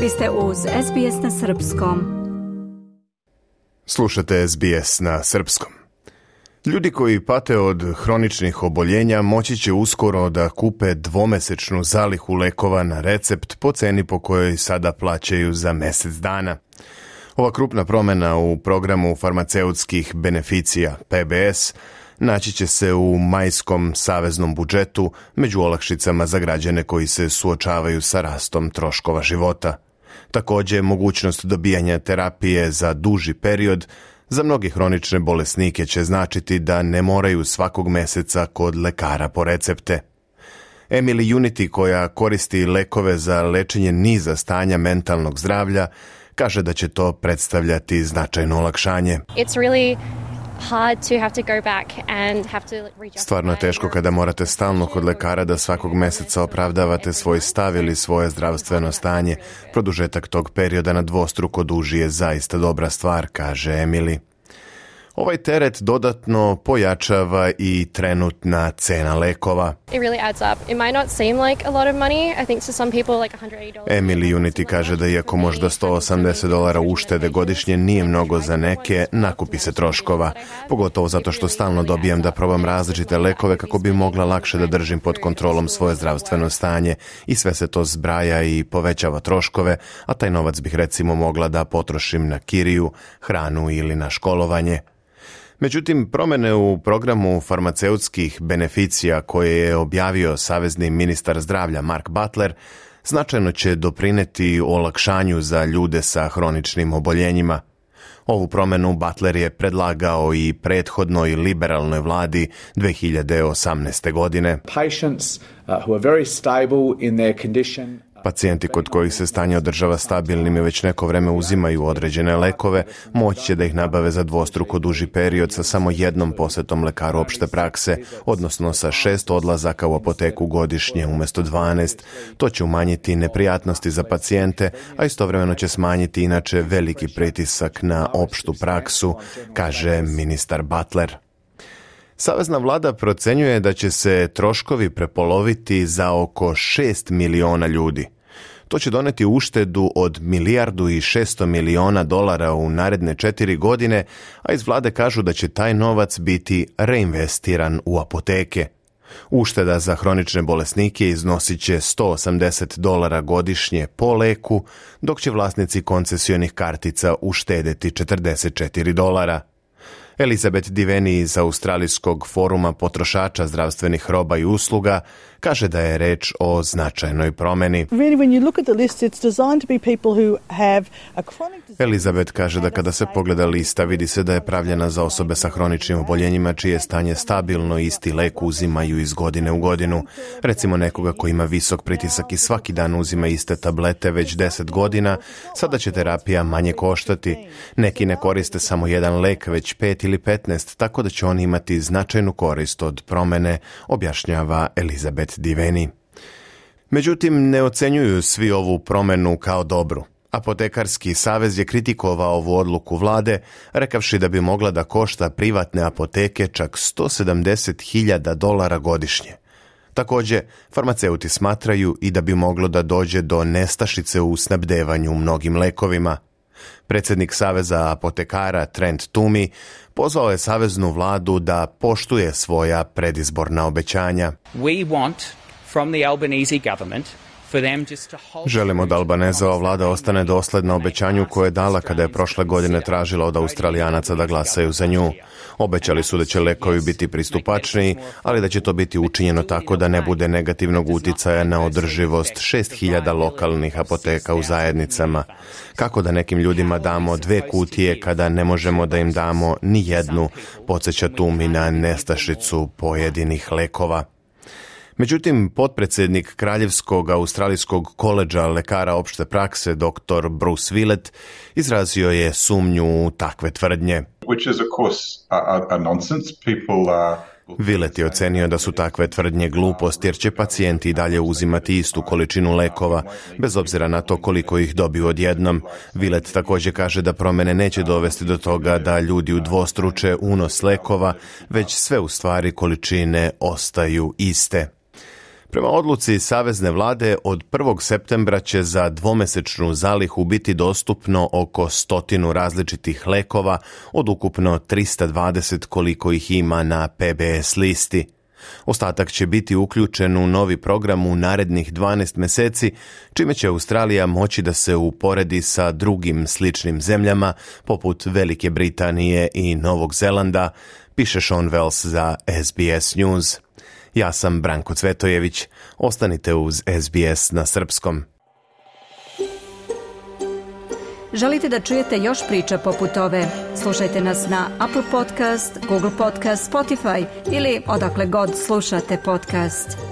Vi ste uz SBS na Srpskom. Slušate SBS na Srpskom. Ljudi koji pate od hroničnih oboljenja moći će uskoro da kupe dvomesečnu zalihu lekova na recept po ceni po kojoj sada plaćaju za mjesec dana. Ova krupna promjena u programu farmaceutskih beneficija PBS naći će se u majskom saveznom budžetu među olakšicama za građane koji se suočavaju sa rastom troškova života. Također, mogućnost dobijanja terapije za duži period za mnogi hronične bolesnike će značiti da ne moraju svakog mjeseca kod lekara po recepte. Emily Unity, koja koristi lekove za lečenje niza stanja mentalnog zdravlja, kaže da će to predstavljati značajno olakšanje. Stvarno je teško kada morate stalno kod lekara da svakog mjeseca opravdavate svoj stav ili svoje zdravstveno stanje. Produžetak tog perioda na dvostruko duži je zaista dobra stvar, kaže Emily. Ovaj teret dodatno pojačava i trenutna cena lekova. Emily Unity kaže da iako možda $180 uštede godišnje nije mnogo za neke, nakupi se troškova. Pogotovo zato što stalno dobijam da probam različite lekove kako bi mogla lakše da držim pod kontrolom svoje zdravstveno stanje i sve se to zbraja i povećava troškove, a taj novac bih recimo mogla da potrošim na kiriju, hranu ili na školovanje. Međutim, promjene u programu farmaceutskih beneficija koje je objavio savezni ministar zdravlja Mark Butler značajno će doprineti olakšanju za ljude sa hroničnim oboljenjima. Ovu promjenu Butler je predlagao i prethodnoj liberalnoj vladi 2018. godine. Pacijenti kod kojih se stanje održava stabilnim i već neko vreme uzimaju određene lekove, moći će da ih nabave za dvostruko duži period sa samo jednom posjetom lekaru opšte prakse, odnosno sa 6 odlazaka u apoteku godišnje umjesto 12. To će umanjiti neprijatnosti za pacijente, a istovremeno će smanjiti inače veliki pritisak na opštu praksu, kaže ministar Butler. Savezna vlada procenjuje da će se troškovi prepoloviti za oko 6 miliona ljudi. To će doneti uštedu od $1,6 milijardi u naredne 4 godine, a iz vlade kažu da će taj novac biti reinvestiran u apoteke. Ušteda za hronične bolesnike iznosit će $180 godišnje po leku, dok će vlasnici koncesionih kartica uštedeti $44. Elizabeth Diveni iz Australijskog foruma potrošača zdravstvenih roba i usluga kaže da je reč o značajnoj promjeni. Elizabeth kaže da kada se pogleda lista vidi se da je pravljena za osobe sa hroničnim oboljenjima čije stanje stabilno i isti lek uzimaju iz godine u godinu. Recimo nekoga koji ima visok pritisak i svaki dan uzima iste tablete već 10 godina, sada će terapija manje koštati. Neki ne koriste samo jedan lek, već 5 ili 15, tako da će oni imati značajnu korist od promjene, objašnjava Elizabeth Diveni. Međutim, ne ocenjuju svi ovu promjenu kao dobru. Apotekarski savez je kritikovao ovu odluku vlade, rekavši da bi mogla da košta privatne apoteke čak $170,000 godišnje. Također, farmaceuti smatraju i da bi moglo da dođe do nestašice u snabdevanju mnogim lekovima. Predsjednik Saveza apotekara Trent Toomey pozvao je saveznu vladu da poštuje svoja predizborna obećanja. Želimo da Albanezova vlada ostane dosledna obećanju koje je dala kada je prošle godine tražila od Australijanaca da glasaju za nju. Obećali su da će lekovi biti pristupačniji, ali da će to biti učinjeno tako da ne bude negativnog uticaja na održivost 6.000 lokalnih apoteka u zajednicama. Kako da nekim ljudima damo 2 kutije kada ne možemo da im damo ni jednu, podsjeća Toomey na nestašicu pojedinih lekova. Međutim, potpredsjednik Kraljevskog australijskog koledža lekara opšte prakse dr. Bruce Willett izrazio je sumnju u takve tvrdnje. Which is of course a nonsense. Willett je ocenio da su takve tvrdnje glupost jer će pacijenti i dalje uzimati istu količinu lekova, bez obzira na to koliko ih dobiju odjednom. Willett također kaže da promjene neće dovesti do toga da ljudi udvostruče unos lekova, već sve u stvari količine ostaju iste. Prema odluci savezne vlade, od 1. septembra će za dvomesečnu zalihu biti dostupno oko 100 različitih lekova od ukupno 320 koliko ih ima na PBS listi. Ostatak će biti uključen u novi program u narednih 12 mjeseci, čime će Australija moći da se uporedi sa drugim sličnim zemljama, poput Velike Britanije i Novog Zelanda, piše Sean Wells za SBS News. Ja sam Branko Cvetojević. Ostanite uz SBS na srpskom. Želite da čujete još priča poput ove? Slušajte nas na Apple Podcast, Google Podcast, Spotify ili odakle god slušate podcast.